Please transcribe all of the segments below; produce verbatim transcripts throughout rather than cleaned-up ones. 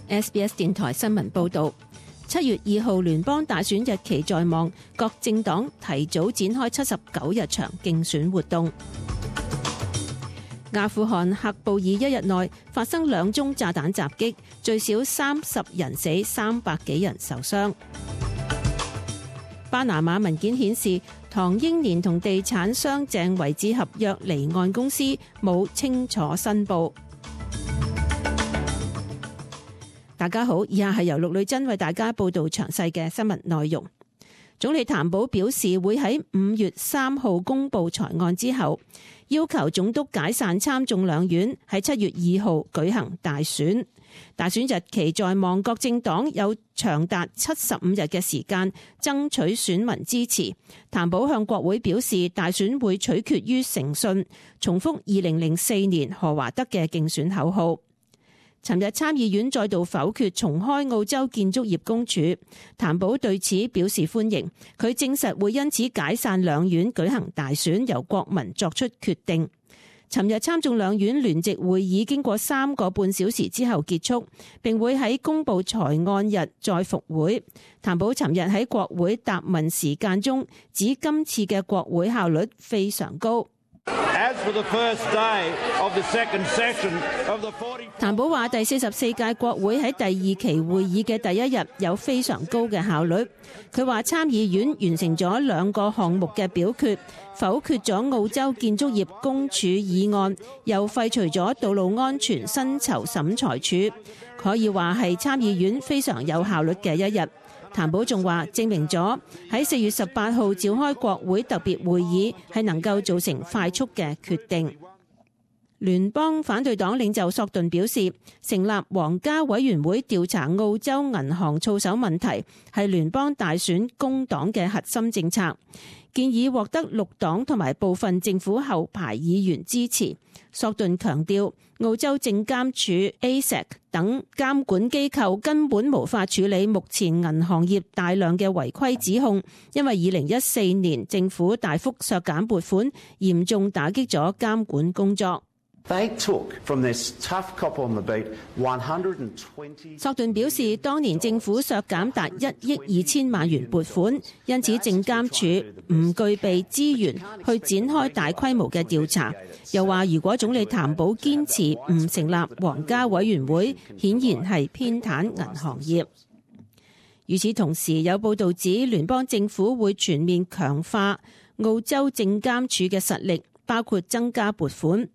S B S 電台新聞報導，七月二號聯邦大選日期在望，各政黨提早展開七十九日場競選活動。阿富汗喀布爾一日內發生兩宗炸彈襲擊，最少三十人死，三百幾人受傷。巴拿馬文件顯示，唐英年同地產商鄭維志合約離岸公司冇清楚申報。大家好，以下係由陸女真為大家報道詳細嘅新聞內容。總理譚寶表示，會喺五月三號公布裁案之後，要求總督解散參眾兩院，喺七月二號舉行大選。大選日期在望，各政黨有長達七十五日嘅時間爭取選民支持。譚寶向國會表示，大選會取決於誠信，重複二零零四年何華德嘅競選口號。尋日參議院再度否決重開澳洲建築業公署，譚寶對此表示歡迎。佢證實會因此解散兩院舉行大選，由國民作出決定。尋日參眾兩院聯席會議經過三個半小時之後結束，並會喺公布裁案日再復會。譚寶尋日喺國會答問時間中指，今次嘅國會效率非常高。譚寶話：第四十四屆國會喺第二期會議嘅第一日有非常高嘅效率。佢話參議院完成咗兩個項目嘅表決，否決咗澳洲建築業公署議案，又廢除咗道路安全薪酬審裁處，可以話係參議院非常有效率嘅一日。譚寶仲話，證明咗喺四月十八號召開國會特別會議係能夠造成快速嘅決定。聯邦反對黨領袖索頓表示，成立皇家委員會調查澳洲銀行操守問題係聯邦大選工黨嘅核心政策，建議獲得綠黨同埋部分政府後排議員支持。索頓強調，澳洲證監署 A S I C 等監管機構根本無法處理目前銀行業大量嘅違規指控，因為二零一四年政府大幅削減撥款，嚴重打擊咗監管工作。索頓表示，當年政府削減達一億二千萬元撥款，因此證監署唔具備資源去展開大規模嘅調查。又話，如果總理譚寶堅持唔成立皇家委員會，顯然係偏袒銀行業。與此同時，有報道指聯邦政府會全面強化澳洲證監署嘅實力，包括增加撥款。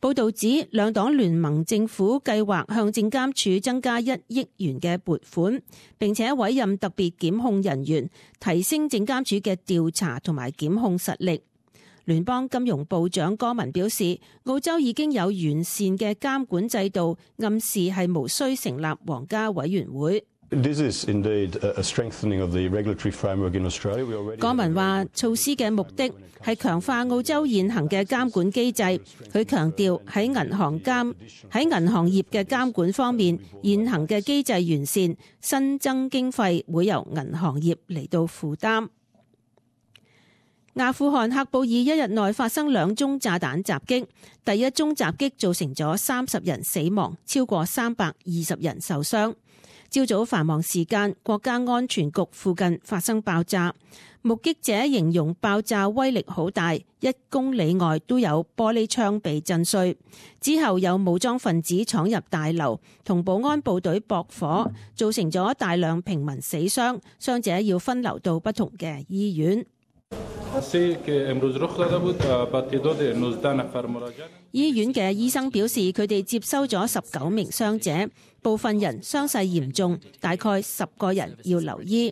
報道指，兩黨聯盟政府計劃向證監署增加一億元嘅撥款，並且委任特別檢控人員，提升證監署嘅調查同埋檢控實力。聯邦金融部長戈文表示，澳洲已經有完善嘅監管制度，暗示係無需成立皇家委員會。戈文話，措施嘅目的係強化澳洲現行嘅監管機制。佢強調喺銀行監喺銀行業嘅監管方面，現行嘅機制完善，新增經費會由銀行業嚟到負擔。阿富汗喀布爾一日內發生兩宗炸彈襲擊，第一宗襲擊造成咗三十人死亡，超過三百二十人受傷。朝早繁忙時間，國家安全局附近發生爆炸，目擊者形容爆炸威力好大，一公里外都有玻璃窗被震碎。之後有武裝分子闖入大樓，同保安部隊駁火，造成咗大量平民死傷，傷者要分流到不同嘅醫院。醫院嘅醫生表示，佢哋接收咗十九名傷者，部分人傷勢嚴重，大概十個人要留醫。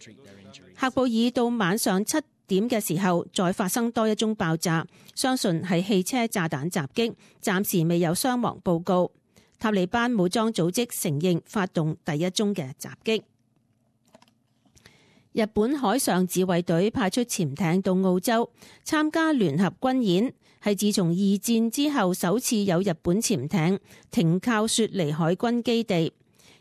喀布爾到晚上七點嘅時候，再發生多一宗爆炸，相信係汽車炸彈襲擊，暫時未有傷亡報告。塔利班武裝組織承認發動第一宗嘅襲擊。日本海上自衛隊派出潛艇到澳洲參加聯合軍演，係自從二戰之後首次有日本潛艇停靠雪梨海軍基地。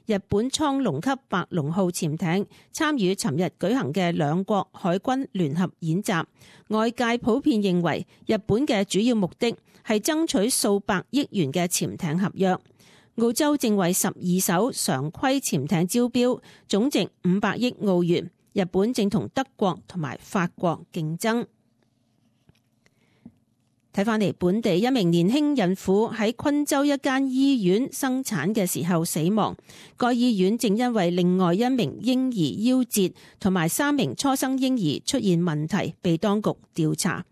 日本蒼龍級白龍號潛艇參與尋日舉行嘅兩國海軍聯合演習，外界普遍認為日本嘅主要目的係爭取數百億元嘅潛艇合約。澳洲正為十二艘常規潛艇招標，總值五百億澳元。日本正同德國同埋法國競爭。睇返嚟，本地一名年輕孕婦喺昆州一間醫院生產嘅時候死亡。該醫院正因為另外一名嬰兒夭折同埋三名初生嬰兒出現問題，被當局調查。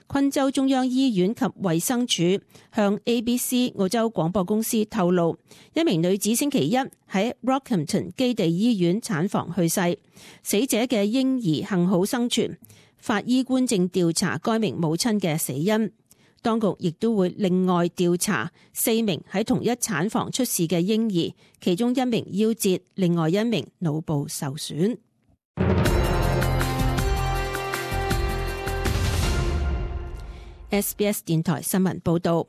昆州中央醫院及衛生署向 A B C 澳洲廣播公司透露，一名女子星期一喺 Rockhampton 基地醫院產房去世，死者嘅嬰兒幸好生存。法醫官正調查該名母親嘅死因。當局亦都會另外調查四名喺同一產房出事嘅嬰兒，其中一名夭折，另外一名腦部受損。S B S 電台新聞報道，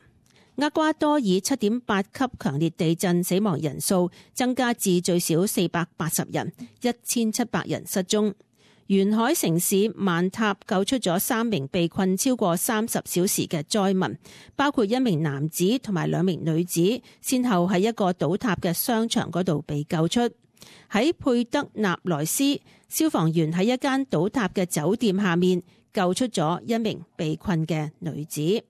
厄瓜多爾七點八級強烈地震，死亡人數增加至最少四百八十人，一千七百人失蹤。沿海城市曼塔救出咗三名被困超過三十小時嘅災民，包括一名男子同埋兩名女子，先後喺一個倒塌嘅商場嗰度被救出。喺佩德納萊斯，消防員喺一間倒塌嘅酒店下面救出咗一名被困嘅女子。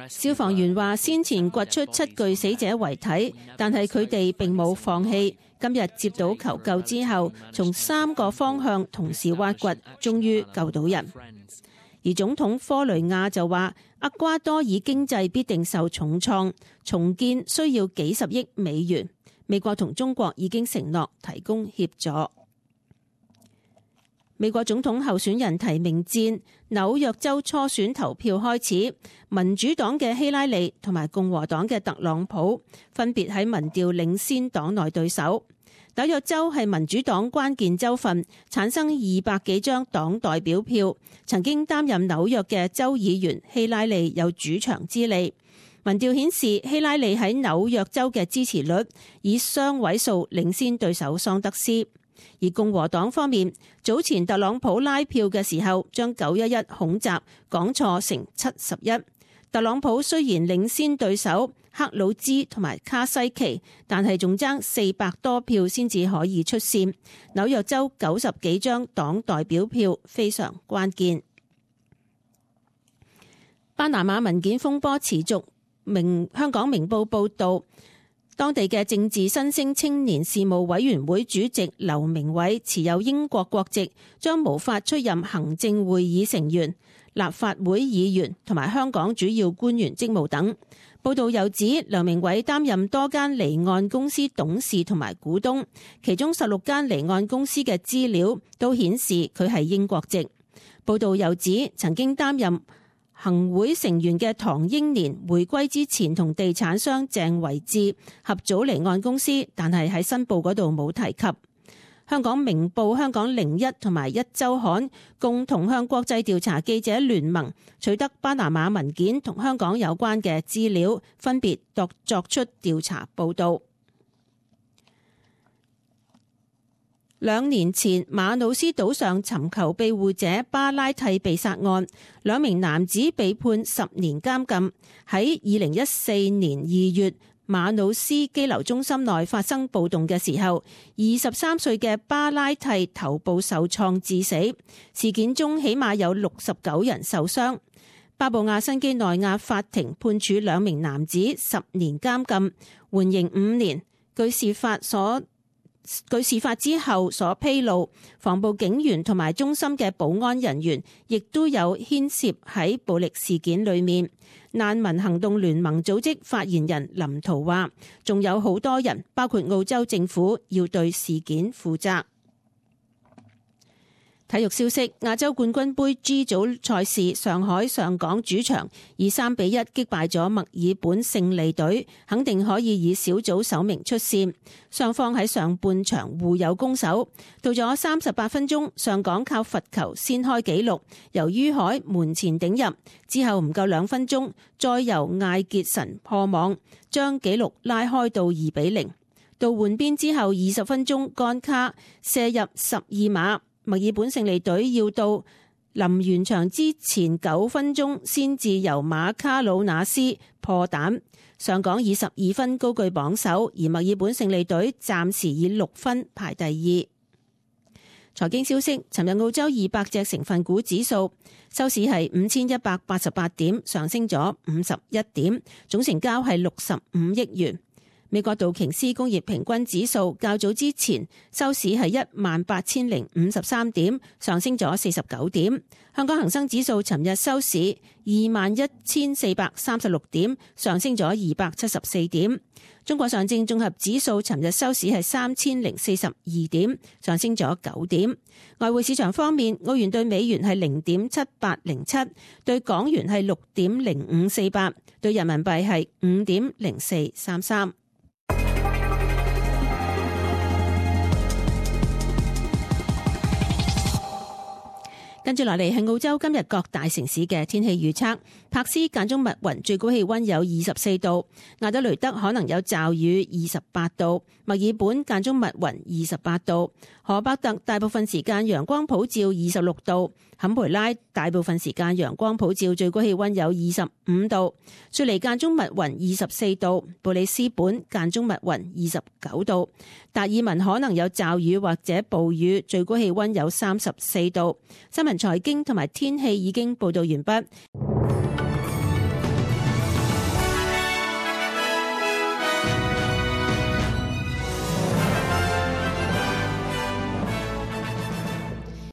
消防員話，先前掘出七具死者遺體，但係佢哋並冇放棄。今日接到求救之後，從三個方向同時挖掘，終於救到人。而總統科雷亞就話，厄瓜多爾經濟必定受重創，重建需要幾十億美元。美國同中國已經承諾提供協助。美國總統候選人提名戰紐約州初選投票開始，民主黨嘅希拉里同埋共和黨嘅特朗普分別喺民調領先黨內對手。紐約州係民主黨關鍵州份，產生二百幾張黨代表票。曾經擔任紐約嘅州議員希拉里有主場之利。民調顯示希拉里喺紐約州嘅支持率以雙位數領先對手桑德斯。而共和黨方面，早前特朗普拉票嘅時候，將九一一恐襲講錯成七十一。特朗普雖然領先對手克魯茲同埋卡西奇，但係仲爭四百多票先至可以出線。紐約州九十幾張黨代表票非常關鍵。巴拿馬文件風波持續，明香港明報報道，當地嘅政治新星青年事務委員會主席劉明偉持有英國國籍，將無法出任行政會議成員、立法會議員同埋香港主要官員職務等。報道又指，劉明偉擔任多間離岸公司董事同埋股東，其中十六間離岸公司嘅資料都顯示佢係英國籍。報道又指，曾經擔任行會成員嘅唐英年回歸之前同地產商鄭維志合組離岸公司，但係喺申報嗰度冇提及。香港明報、香港零一同埋一週刊共同向國際調查記者聯盟取得巴拿馬文件同香港有關嘅資料，分別作作出調查報導。兩年前，馬努斯島上尋求庇護者巴拉蒂被殺案，兩名男子被判十年監禁。喺二零一四年二月，馬努斯羈留中心內發生暴動嘅時候，二十三歲嘅巴拉蒂頭部受創致死。事件中起碼有六十九人受傷。巴布亞新畿內亞法庭判處兩名男子十年監禁，緩刑五年。據事發所據事發之後所披露，防暴警員同埋中心嘅保安人員亦都有牽涉喺暴力事件裏面。難民行動聯盟組織發言人林濤話，仲有好多人，包括澳洲政府，要對事件負責。體育消息：亞洲冠軍盃 G 組賽事，上海上港主場以三比一擊敗咗墨爾本勝利隊，肯定可以以小組首名出線。雙方喺上半場互有攻守，到咗三十八分鐘，上港靠罰球先開紀錄，由于海門前頂入，之後唔夠兩分鐘，再由艾傑臣破網，將紀錄拉開到二比零。到換邊之後二十分鐘，干卡射入十二碼。墨爾本勝利隊要到臨完場之前九分鐘先至由馬卡魯納斯破蛋。上港以十二分高居榜首，而墨爾本勝利隊暫時以六分排第二。財經消息，尋日澳洲二百隻成分股指數收市係五千一百八十八點，上升咗五十一點，總成交係六十五億元。美國道瓊斯工業平均指數較早之前收市係一萬八千零五十三點，上升咗四十九點。香港恒生指數尋日收市二萬一千四百三十六點，上升咗二百七十四點。中國上證綜合指數尋日收市係三千零四十二點，上升咗九點。外匯市場方面，澳元對美元係零點七八零七，對港元係六點零五四八，對人民幣係五點零四三三。跟住落嚟係澳洲今日各大城市嘅天氣預測。柏斯間中密雲，最高氣溫有二十四度；亞德雷德可能有驟雨，二十八度；墨爾本間中密雲，二十八度；荷伯特大部分時間陽光普照，二十六度；坎培拉大部分時間陽光普照，最高氣溫有二十五度；雪梨間中密雲，二十四度；布里斯本間中密雲，二十九度；達爾文可能有驟雨或者暴雨，最高氣溫有三十四度。新聞財經同埋天氣已經報道完畢。